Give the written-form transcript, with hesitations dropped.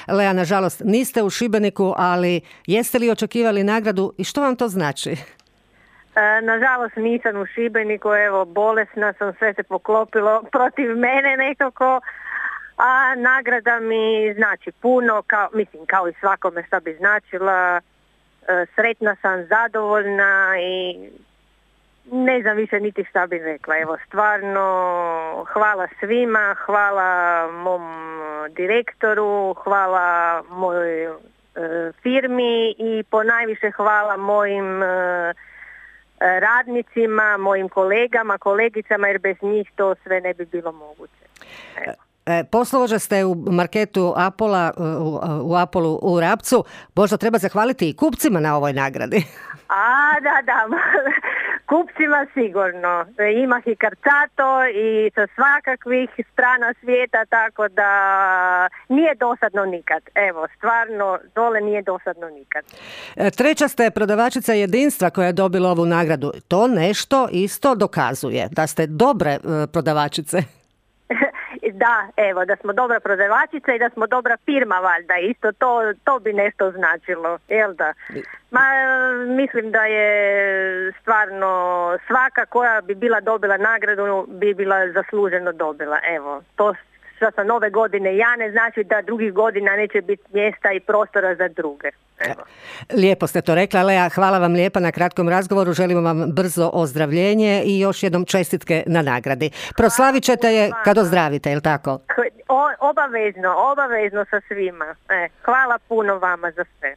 Lea, nažalost, niste u Šibeniku, ali jeste li očekivali nagradu i što vam to znači? Nažalost nisam u Šibeniku, evo bolesna sam, sve se poklopilo protiv mene nekako, a nagrada mi znači puno, kao i svakome šta bi značila. Sretna sam, zadovoljna i ne znam više niti šta bih rekla. Evo, stvarno hvala svima, hvala mom direktoru, hvala mojoj firmi i ponajviše hvala mojim radnicima, mojim kolegama, kolegicama, jer bez njih to sve ne bi bilo moguće. Evo. Poslovođa ste u marketu Apola, u Apolu u Rapcu. Možda treba zahvaliti i kupcima na ovoj nagradi. Da. Kupcima sigurno. Ima i karcato i sa svakakvih strana svijeta, tako da nije dosadno nikad. Evo, stvarno, dole nije dosadno nikad. Treća ste prodavačica Jedinstva koja je dobila ovu nagradu. To nešto isto dokazuje, da ste dobre prodavačice. Da, evo, da smo dobra prodavačica i da smo dobra firma, valjda, isto to bi nešto značilo, jel da? Mislim da je stvarno svaka koja bi bila dobila nagradu bi bila zasluženo dobila, evo, to što sa nove godine ja ne znači da drugih godina neće biti mjesta i prostora za druge. Evo. Lijepo ste to rekla, Lea, hvala vam lijepa na kratkom razgovoru, želimo vam brzo ozdravljenje i još jednom čestitke na nagradi. Proslavit ćete je kad ozdravite, jel tako? Obavezno sa svima. Hvala puno vama za sve.